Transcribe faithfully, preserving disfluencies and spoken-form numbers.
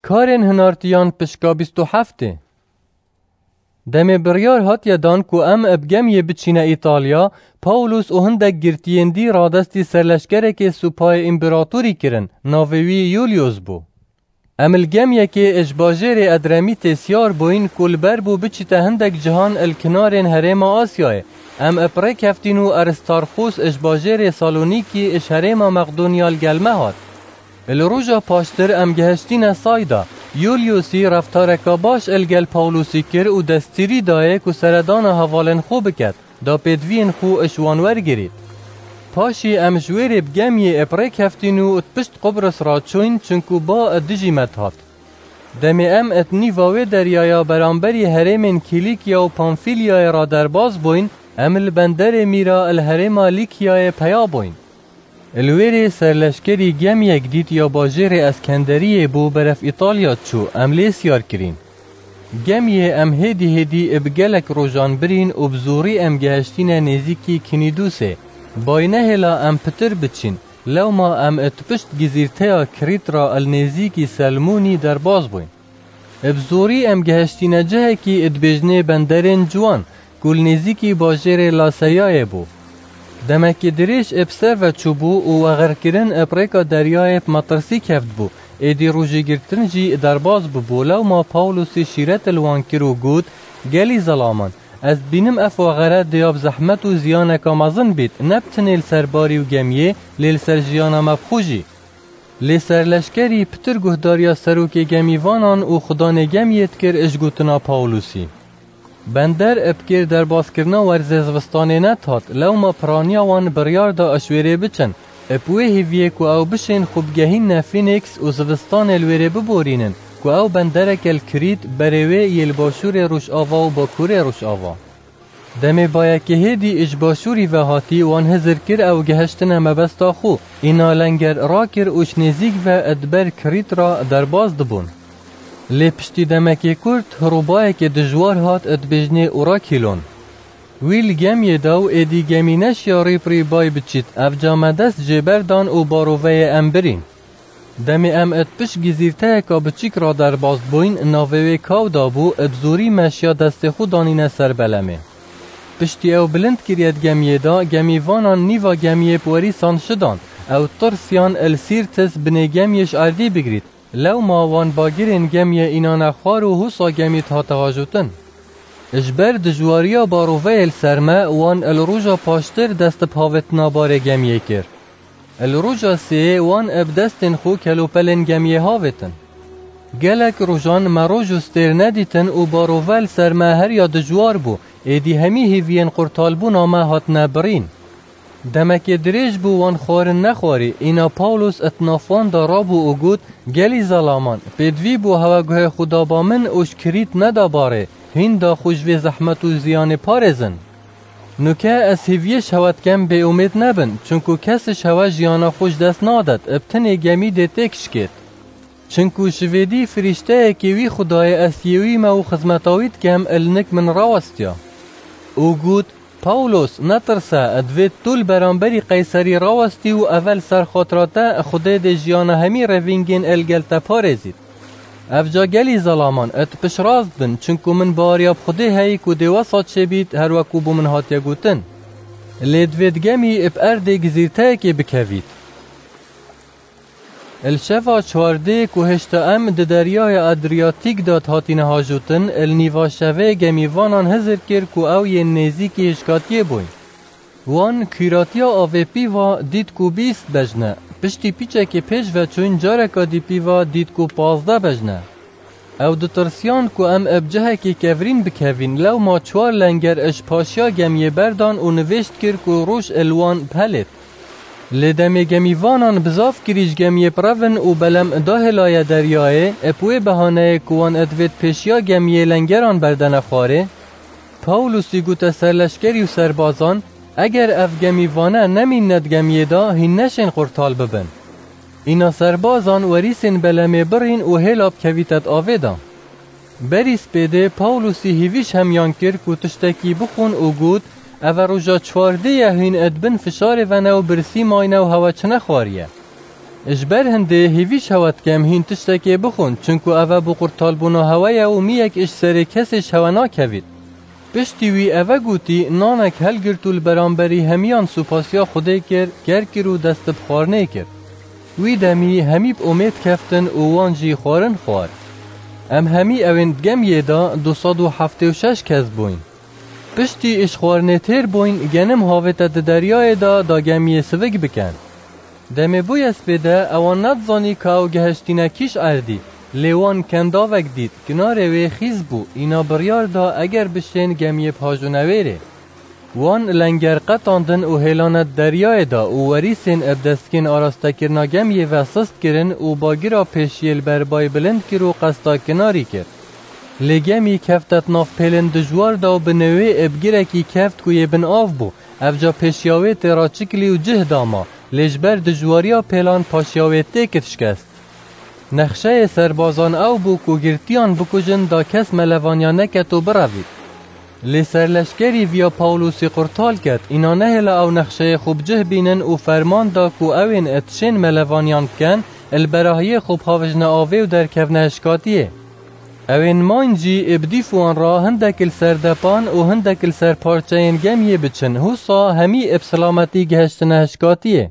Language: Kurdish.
Karên hinartiyan pişka bîst û heftê. Demê biryar hatiye dan ku em bi gemiyê biçîne Îtalya, Paulus û hindek girtiyên dî radestî serleşkerekê supayê împeratorî kirin, navê wî Yulius bû. Em li gemiyekê ji bajêrê Edremîtê siyar bûyn ku li ber bû biçîte hindek cihan li kinarên herêma Asyayê. Em bi rê keftîn û Aristarxûs ji bajêrê Salonîkî ji herêma Meqdoniya li gel me hat. Li roja paştir em gehiştîne Sayda. Yuliusî reftareka baş li gel Pawlusî kir û destûrî dayê ku seredana hevalên xwe biket, da pêdiviyên xwe ji wan wergirît. Paşî em ji wêrê bi gemiyê bi rê keftîn û di pişt Qubris re çûyn, çinku ba dijî me dihat. Demê em di nîva wê deryaya beramberî herêmên Kîlîkya û Pamfîlyayê re derbas bûyn, em li benderê Mîra li herêma Lîkyayê peya bûyn. Li wêrê serleşkerî gemiyek dît ya bajêrê Eskenderiyê bû berev Îtalya çû, em lê siyar kirîn. Gemiyê em hêdî hêdî bi gelek rojan birîn û bi zorî em gehiştîne nêzîkî Kinîdûsê. Bay nehêla em pitir biçîn, lewma em di pişt gizîrteya Krît re li nêzîkî Selmûnî derbas bûyn. Bi zorî em gehiştîne cihekî dibêjnê benderên ciwan, ku li nêzîkî bajêrê Laseyayê bû. Demekî dirêj bi ser ve çûbû û wexerkirin bi rêka deryayê bi metirsî kevtbû, êdî rojî girtin jî derbas bûbû, lewma Pawlusî şîret li wan kir û got, Gelî zelaman, ez dibînim ev wexere dê ya bi zehmet û ziyaneka mezin bît, ne bi tenê li ser barî û gemiyê, lê li ser jiyana me bi xwe jî. Lê serleşkerî pitir guhdariya serokê gemîvanan û xudanê gemiyê dikir ji gotina Pawlusî. Bender bi kêr derbaskirina werzê zivistanê nedihat, lewma piraniya wan biryar da ji wêrê biçin, bi wê hêviyê ku ew bişên xwe bigehînne Fînîks û zivistanê li wêrê biborînin, ku ew bendereke li Krît berê wê yê li başûrê rojava û bakurê rojava. Demê bayekê hêdî ji başûrî ve hatî wan hizir kir ew gehiştine mebesta xwe, îna lenger rakir û ji nêzîk ve di ber Krît re derbas dibûn. Lê piştî demekê kurt, hirobayekê dijwar hat dibêjnê Orakîlon. Wî li gemiyê da û êdî gemî neşiya rî bi rî bay biçît, evca me dest jê berdan û baroveyê em birîn. Demê em di pişt gizîrteyeka biçîk re derbas bûyn, navê wê Kawda bû, bi zorî me şiya destê xwe danîne ser belemê. Piştî ew bilind kiriye di gemiyê de, gemîvanan nîva gemiyê bi werîsan şidan. Ew tirsiyan li Sîrtis binê gemiyê ji erdî bigirît. Lewma wan bagirên gemiyê înane xwar û husa gemî dihate hajotin. Ji ber dijwariya baroveyê li ser me, wan li roja paştir dest bi havêtina barê gemiyê kir. Li roja sêyê wan bi destên xwe kelopelên gemiyê havêtin. Gelek rojan me roj û stêr nedîtin û barove li ser me her ya dijwar bû, êdî hemî hêviyên qurtalbûna me hatine birîn. Demekê dirêj bû wan xwarin nexwarî, îna Pawlos di nav wan de rabû û got, Gelî zelaman, pêdivî bû hewe guhê xwe da ba min û ji Krît neda barê, hîn da xwe ji vê zehmet û ziyanê parêzin. Nuke ez hêviyê ji hewe dikem bêumêd nebin, çunku kes ji hewe jiyana xwe ji dest nadet, bi tenê gemî dê têk şikêt. Çinku ji vê dî firîşteyekê wî Xwedayê ez yê wî me û xizmeta wî dikem, li nik min rawestiya. Û got, Pawlos, netirse, divê tu li beramberî Qeyserî rawestî û eve li ser xatira te Xwedê dê jiyana hemî revîngên li gel te parêzît. Evca gelî zelaman, tu piştrast bin, çinku min baweriya bi Xwedê heyî ku dê wesa çêbît, her wek ku bo min hatiye gotin. Lê divê di gemî bi erdê gizîrteyekê bikevît. Li şeva çardê ku hêşta em di deryaya Adriyatîk de dihatîne hajotin, li nîva şevê gemîvanan hizir kir ku ew yên nêzîkî hişkatiyê bûyn. Wan kûratiya avê pîva dît ku bîst bejn e. Piştî pîçekê pêş ve çûyn, careka dî pîva dît ku pazdeh bejn e. Ew ditirsiyan ku em bi cihekî kevirîn bikevîn, lewma çar lenger ji paşiya gemiyê berdan û nivêşt kir ku roj li wan bihêlêt. Lê demê gemîvanan bi zaf kirî ji gemiyê birevin û belem dahêlaye deryayê, bi wê behaneyê ku wan divêt pêşiya gemiyê lengeran berdene xwarê, Pawlusî gote serleşkerî û serbazan, Eger ev gemîvane nemînne di gemiyê de, hîn neşên qurtal bibin. Îna serbazan werîsên belemê birîn û hêla bikevîte di avê de. Berî spêdê Pawlusî hêvî ji hemiyan kir ku tiştekî bixwin û got, Eve roja çwardê ye hîn di bin fişarê ve ne û birsî mayne û hewe çi nexwariye. Ji ber hindê hêvî ji hewe dikem hîn tiştekê bixwin, çunku eve bo qurtalbûna hewe ye û miyek ji serê kesê ji hewe nakevît. Piştî wî eve gotî, nanek helgirt û li beramberî hemiyan supasiya Xwedê kir, ger kir û dest bi xwarinê kir. Wî demî hemî bi omêd keftin û wan jî xwarin xwar. Em hemî ewên di gemiyê de du sed û heftê û şeş kes bûyn. Piştî ji xwarinê têr bûyn, genim havête di deryayê de da gemiyê sivik bikin. Demê bûye spê de ewan nedizanî ka ew gehiştîne kîş erdî, lê wan kendavek dît, kinarê wê xîz bû, îna biryar da eger bişên gemiyê bihajûne wêrê. Wan lenger qetandin û hêlane di deryayê da û werîsên bi destgên arastekirina gemiyê ve sist kirin û bagira pêşiyê li ber bay bilind kir û qesta kinarî kir. Lê gemî kefte di nav pêlên dijwar da û bi newê bi girekî keft ku yê bin av bû. Evca pêşiya wê tê raçikilî û cih da ma, lê ji ber dijwariya pêlan paşiya wê têkit şikest. Nexşeyê serbazan ew bû ku girtiyan bikujin da kes melevaniya neket û birevît. Lê serleşkerî viya Pawlûsî qurtal ket, îna nehêla ew nexşeyê xwe bi cih bînin û ferman da ku ewên tişên melevaniyan biken, li berahiyê xwe bihawijne avê û derkevne hişkatiyê. Ewên mayn jî ê bi dîf wan re hindek li ser depan û hindek li ser parçeyên gemiyê biçin, husa hemî ê bi silametî gihiştine hişkatiyê.